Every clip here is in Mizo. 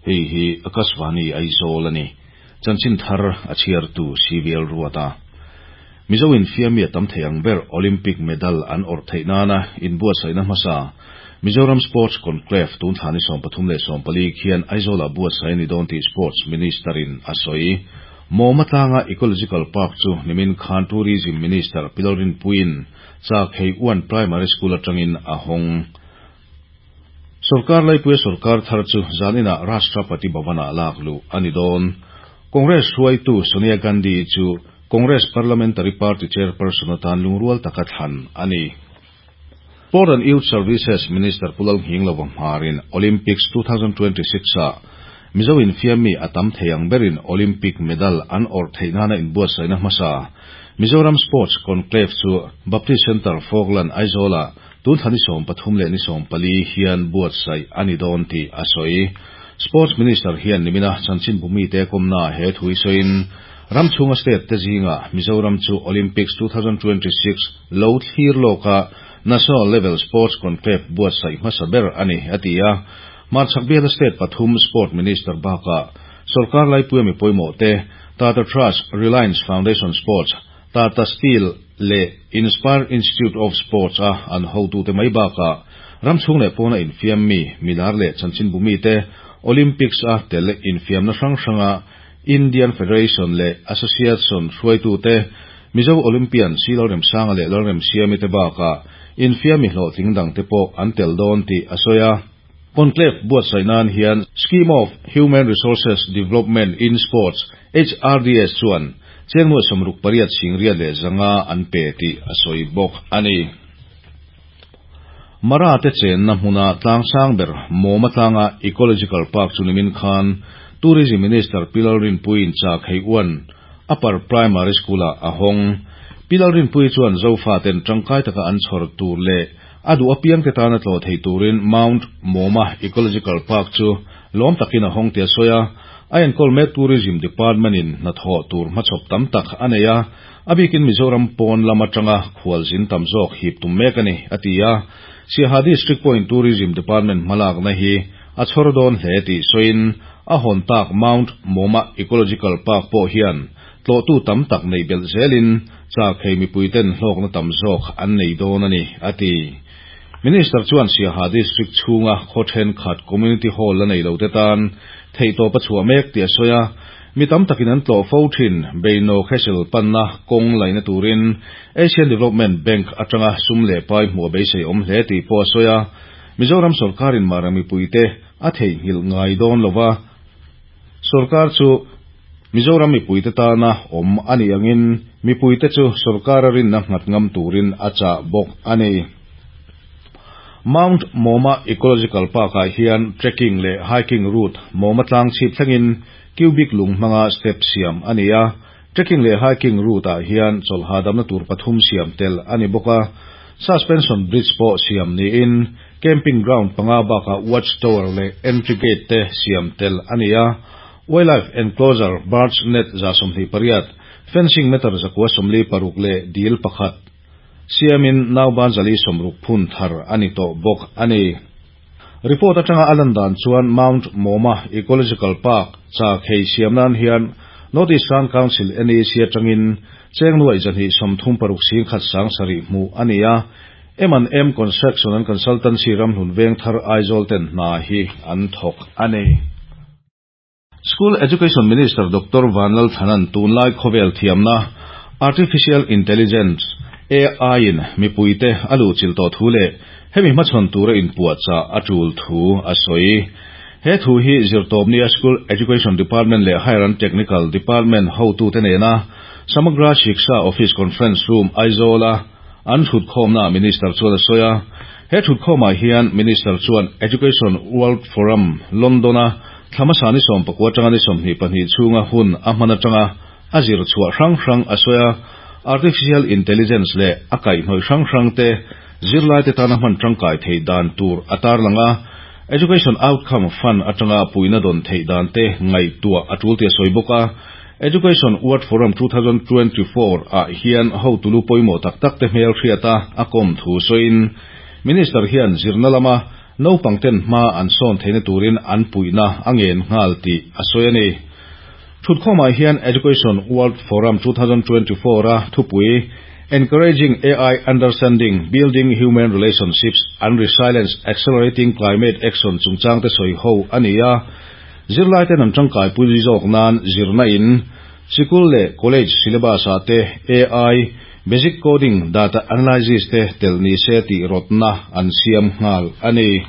Hei hi Akashvani Aizawl a ni. Chanchin thar a chhiartu CVL Ruata. Mizo infiammi a tam thei ang ber Olympic medal an awrh theih nana inbuatsaihna hmasa Mizoram Sports Conclave tun thla ni 34 khian Aizawlah buatsaih a ni dawn tih Sports Minister-in a sawi. Mawma tlanga Ecological Park chu nimin khan Tourism Minister Pi Lalrinpuiin Chakhei Uan Primary School atangin a hawng. Sorkar laipuia sorkar thar chu zaninah Rashtrapati Bhavan-ah lak luh a ni dawn. Congress hruaitu Sonia Gandhi chu Congress Parliamentary Party Chairperson atan lungrual taka thlan a ni. Sport and Youth Services Minister Pu Lalnghinglova hmarin Olympics 2026-ah Mizo infiammi a tam thei ang berin Olympic medal an awrh theih nana inbuatsaihna hmasa Mizoram Sports Conclave chu Baptist Centre Falkland Aizawl-ah tun thla ni 13 leh ni 14 hian buatsaih a ni dawn tih a sawi. Sports Minister hian nimina chanchinbu mite kawmnaah he thu hi sawiin, ram chhunga state te zingah Mizoram chu Olympics 2026 lo thlir lawka National Level Sports Conclave buatsaih hmasa ber a ni, a ti a. Hmarchhak biala state pathum Sport Minister bakah sorkar laipuia mi pawimawh te, Tata Trust, Reliance Foundation Sports, Tata Steel leh Inspire Institute of Sports a an hotute mai bakah ram chhung leh pawna infiam mi, milar leh chanchinbu mite Olympics a tel infiamna hrang hranga Indian Federation leh Association hruaitute, Mizo Olympian Si Lalremsanga leh Lalremsiami te bakah infiami hlawhtling dangte pawh an tel dawn tih a sawi a. Conclave buatsaih nan hian Scheme of Human Resources Development in Sports, HRDS, chuan cheng nuai 68 singriat leh 500 an pe tih a sawi bawk a ni. Mara te chenna hmuna tlang sang ber Mawma tlanga Ecological Park chu nimin khan Tourism Minister Pi Lalrinpuiin chak hei uan Upper Primary School-ah a hawng. Pi Lalrinpuii chuan Zofaten tangkai taka an chhawr tur leh a duh apiangte tana tlawh theih turin Mount Mawma Ecological Park chu lawm takin a hawng tih a sawi a. A enkawl mek Tourism Department-in hnathawh tur hmachhawp tam tak a nei a, a bikin Mizoram pawn lam atanga khualzin tam zawk hip tum mek a ni, a ti a. Siaha District pawhin Tourism Department hmalakna hi a chhawr dawn hle tih sawiin a hawn tak Mount Mawma Ecological Park pawh hian tlawhtu tam tak neih belh zelin chak hei mipuiten hlawkna tam zawk an nei dawn a ni, a ti. Minister chuan Siaha District chhunga khaw thenkhat Community Hall la nei lote tan theihtawp a chhuah mek tih a sawi a. Mi tam takin an tlawh fo thin Beino Khesel panna kawng laihna turin Asian Development Bank atanga sum leh pai hmuh a beisei awm hle tih pawh a sawi a. Mizoram sorkarin Mara mipuite a theihnghilh ngai dawn lova, sorkar chu Mizoram mipuite tana awm a nih angin mipuite chu sorkara rinna nghat ngam turin a chah bawk a ni. Mount Mawma Ecological Park-ah hian trekking leh hiking route Mawma tlang chhip thlengin cubic lung hmanga step siam a ni a. Trekking leh hiking route-ah hian chawlh hahdamna tur pathum siam tel a ni bawk a. Suspension bridge pawh siam niin camping ground panga bakah watch tower leh entry gate te siam tel a ni a. Wildlife enclosure birds net 28, fencing meter 146 leh dil pakhat siamin nauban 460 phun thar a ni tawh bawk a ni. Report atanga a lan dan chuan Mount Mawma Ecological Park chak hei siam nan hian North Eastern Council, NEC, atangin cheng nuai 236 singkhat 7000 hmuh a ni a. M and M Construction and Consultancy ramhlun veng thar Aizawl ten hna hi an thawk a ni. School Education Minister Doctor Vanlalthanan tunlai khawvel thiamna Artificial Intelligence, AI, in mipuite a luhchilh tawh thu leh hemi hmachhawn tura inpuahchah a tul thu a sawi. He thu hi zirtawpnia School Education Department leh Higher and Technical Department hotute nena Samagra Shiksha Office Conference Room Aizawl-a an thutkhawmnaah Minister chuan a sawi a. He thutkhawmah hian Minister chuan Education World Forum, London-a thla hmasa ni 19 atanga ni 22 chhunga hun a hman atanga a zir chhuah hrang hrang a sawi a. Artificial Intelligence leh a kaihhnawih hrang hrang te zirlaite tana hman tangkai theih dan tur a tarlang a. Education Outcome Fund atanga puihna dawn theih dan te ngaihtuah a tul tih a sawi bawk a. Education World Forum 2024 ah hian hotu lu pawimawh tak tak te hmel hriat a a kawm thu sawiin Minister hian zirna lama naupang ten hma an sawn theihna turin an puihna a ngen nghal tih a sawi a ni. Thutkhawmah hian Education World Forum 2024 a thupui Encouraging AI Understanding, Building Human Relationships and Resilience, Accelerating Climate Action chungchang te sawi ho a ni a. Zirlai ten an tangkai pui zawk nan zirna in sikul leh college syllabus ah te AI, basic coding, data analysis te tel ni se tih rawtna an siam nghal a ni.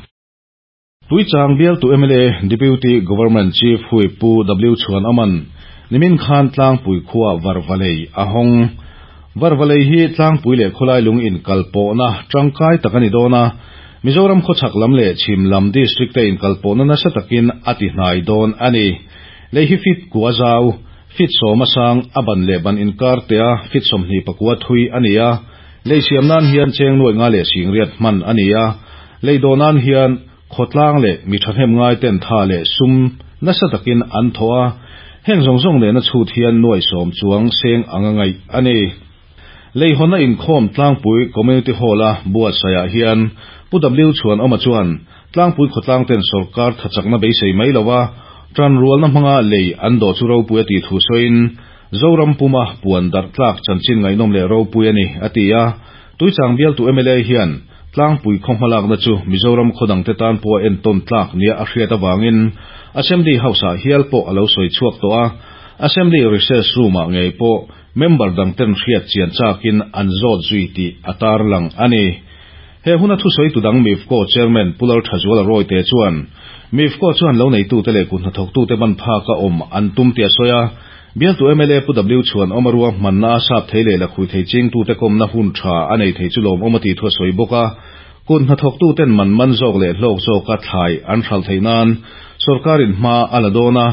Tuichang bialtu mla Deputy Government Chief Whip Pu W Chhuanawma'n nimin khan Tlangpui khua Varvalei a hawng. Varvalei hi Tlangpui leh khawlai lung inkalpawhna tangkai tak a ni dawn a, Mizoram khawchhak lam leh chhim lam district te inkalpawhna nasa takin a ti hnai dawn a ni. Lei hi feet kua zau, feet sawma sang, a ban leh ban inkar tea feet 29 thui a ni a. Lei siam nan hian cheng nuai nga leh singriat hman a ni a. Lei dawh nan hian khawtlang leh mi thahnem ngai ten tha leh sum nasa takin an thawh a. Heng zawng zawng nena chhut hian nuai sawm chuang seng anga ngaih a ni. Lei hawnna inkhawm Tlangpui Community Hall-a buatsaihah hian Pu W Chhuanawma chuan Tlangpui khawtlang ten sawrkar thachakna beisei mai lova tanrualna hmanga lei an dawh chu ropui a tih thu sawiin Zoram puma puan darh tlak chanchin ngaihnawm leh ropui a ni a ti a. Tuichang bialtu mla hian Tlangpui khaw hmalakna chu Mizoram khaw dangte tan pawh a entawn tlak nia a hriat avangin Assembly House-ah hial pawh a lo sawi chhuak tawh a. Assembly Recess Room-ah ngei pawh member dangten hriat chian chakin an zawt zui tih a tarlang a ni. He huna thusawitu dang MIFCO Chairman Pu Lalthazuala Rawite chuan MIFCO chuan lo neitute leh kut hnathawktute ban phaka awm an tum tih a sawi a. Bialtu mla Pu W Chhuanawma rua hmanna a sap thei leh lakhui thei chingtute kawmna hun tha a nei thei chu lawmawm a tih thu a sawi bawk a. Kut hnathawktuten man man zawk leh hlawk zawka thlai an hralh theih nan sawrkarin hma a la dawn a,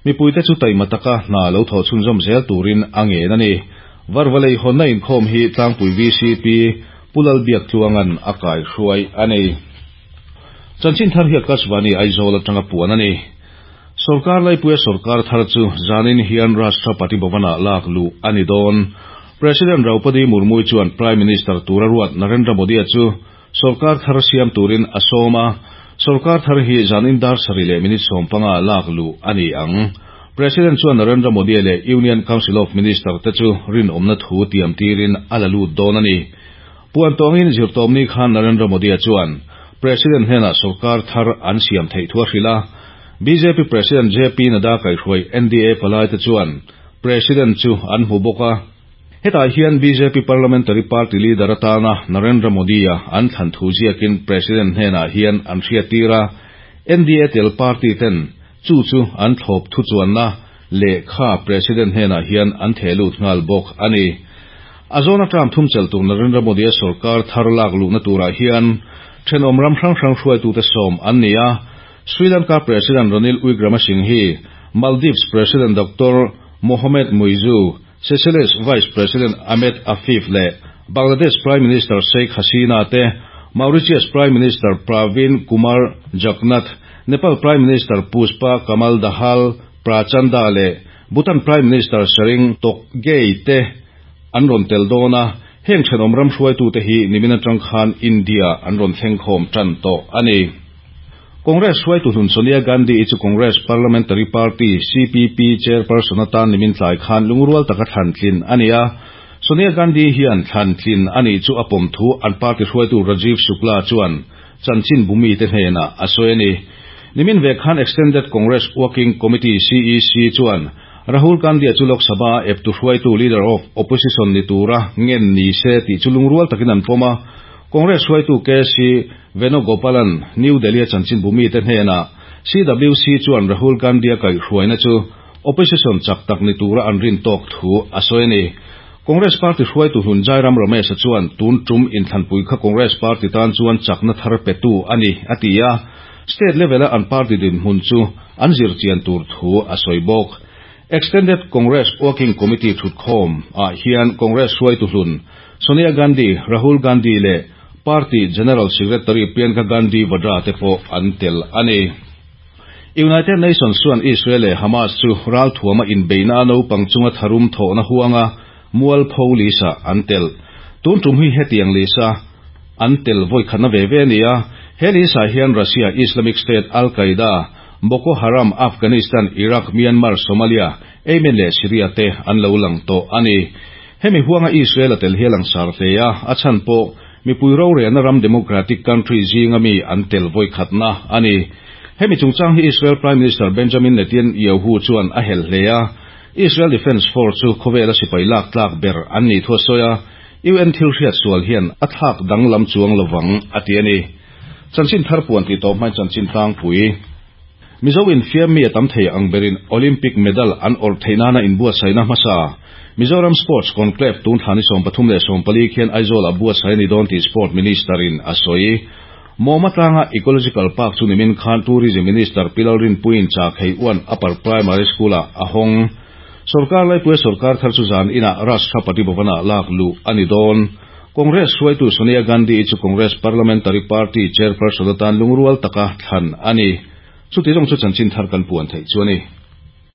mipuite chu taima taka hna lo thawh chhunzawm zel turin a ngen a ni. Varvalei hawnna inkhawm hi Tlangpui VCP Pu Lalbiaktluanga'n a kaihruai a ni. Chanchin thar hi Akashvani Aizawl atanga puan a ni. Sawrkar laipuia sawrkar thar chu zanin hian Rashtrapati Bhavan-ah lak luh a ni dawn. President Draupadi Murmu chuan Prime Minister tura ruat Narendra Modi-a chu sawrkar thar siam turin a sawm a, sawrkar thar hi zanin dar sarih leh minute 15 lak luh a ni ang. President chuan Narendra Modi-a leh Union Council of Minister te chu rinawmna thu tiam tirin a la lut dawn a ni. Puan tawngin zirtawmni khan Narendra Modi-a chuan President hnenah sawrkar thar an siam theih thu a hrilh a. Bjp President JP Nadda kaihhruai NDA palaite chuan President chu an hmu bawk a. Hetah hian bjp Parliamentary Party leader atana Narendra Modi-a an thlan thu ziakin President hnenah hian an hriattir a. NDA tel party ten chu chu an thlawp thu chuanna lehkha President hnenah hian an theh lut nghal bawk a ni. A zawna term thum chelh tur Narendra Modi-a sawrkar thar lak luhna turah hian thenawm ram hrang hrang hruaitute sawm an ni a. Sri Lanka President Ranil Wickremesinghe hi Maldives President Doctor Mohamed Muizzu, Seychelles Vice President Ahmed Afif leh Bangladesh Prime Minister Sheikh Hasina te, Mauritius Prime Minister Pravind Kumar Jugnauth, Nepal Prime Minister Pushpa Kamal Dahal Prachanda leh Bhutan Prime Minister Tshering Tobgay te an rawn tel dawn a, heng thenawm ram hruaitute hi nimin atang khan India an rawn thleng khawm tan tawh a ni. Congress hruaitu hlun Sonia Gandhi i chu Congress Parliamentary Party, CPP, chairperson atan nimin tlai khan lungrual taka thlan tlin a ni a. Sonia Gandhi hian thlan tlin a nih chu a pawm thu an party hruaitu Rajiv Shukla chuan chanchin bumite hnenah a sawi a ni. Nimin ve khan Extended Congress Working Committee, CEC, chuan Rahul Gandhi-a chu Lok Sabha a eptu hruaitu Leader of Opposition ni tura ngen ni se tih chu lungrual takin an pawm a. Congress hruaitu KC Venugopalan New Delhi-a chanchin bumite hnenah CWC chuan Rahul Gandhi-a kaihhruaina chu opposition chak tak ni tura an rin tawk thu a sawi a ni. Congress party hruaitu hlun Jairam Ramesh-a chuan tun tum inthlanpui kha Congress party tan chuan chakna thar petu a ni a ti a, state level-a an party dinhmun chu an zirchian tur thu a sawi bawk. Extended Congress Working Committee thutkhawm ah hian Congress hruaitu hlun Sonia Gandhi, Rahul Gandhi leh Party General Secretary Priyanka Gandhi Vadra te pawh an tel a ni. United Nations chuan Israel leh Hamas chu ralthuama inbeihna a naupang chunga tharum thawhna huanga mualpho lisa an tel. Tun tum hi hetiang lisa an tel vawi khatna ve ve a ni a. He list-ah hian Russia, Islamic State, Al-Qaeda, Boko Haram, Afghanistan, Iraq, Myanmar, Somalia, Yemen leh Syria te an lo lang tawh a ni. Hemi huanga Israel a tel hi a langsar hle a, a chhan pawh mipui rorelna ram democratic country zinga mi an tel vawikhatna a ni. Hemi chungchang hi Israel Prime Minister Benjamin Netanyahu chuan a helh hle a, Israel Defence Force chu khawvela sipai lak tlak ber an nih thu a sawi a, UN thil hriat sual hian a thlak danglam chuang lovang a ti a ni. Chanchin thar puan tih tawp hmain chanchin tlangpui. Mizo infiam mi a tam thei ang berin Olympic medal an awrh theih nana inbuatsaihna hmasa Mizoram Sports Conclave tun thla ni 34 leh 14 khian Aizawl ah buatsaih a ni dawn tih Sport Minister in a sawi. Mawma tlanga Ecological Park chu nimin khan Tourism Minister Pi Lalrinpuiin Chakhei Uan Upper Primary School ah a hawng. Sorkar laipuia sorkar thar chu zan inah Rashtrapati Bhavan ah lak luh a ni dawn. Congress hruaitu Sonia Gandhi-i chu Congress Parliamentary Party Chairperson atan lungrual taka thlan a ni. Chuti zawng chu chanchin thar kan puan theih chu a ni.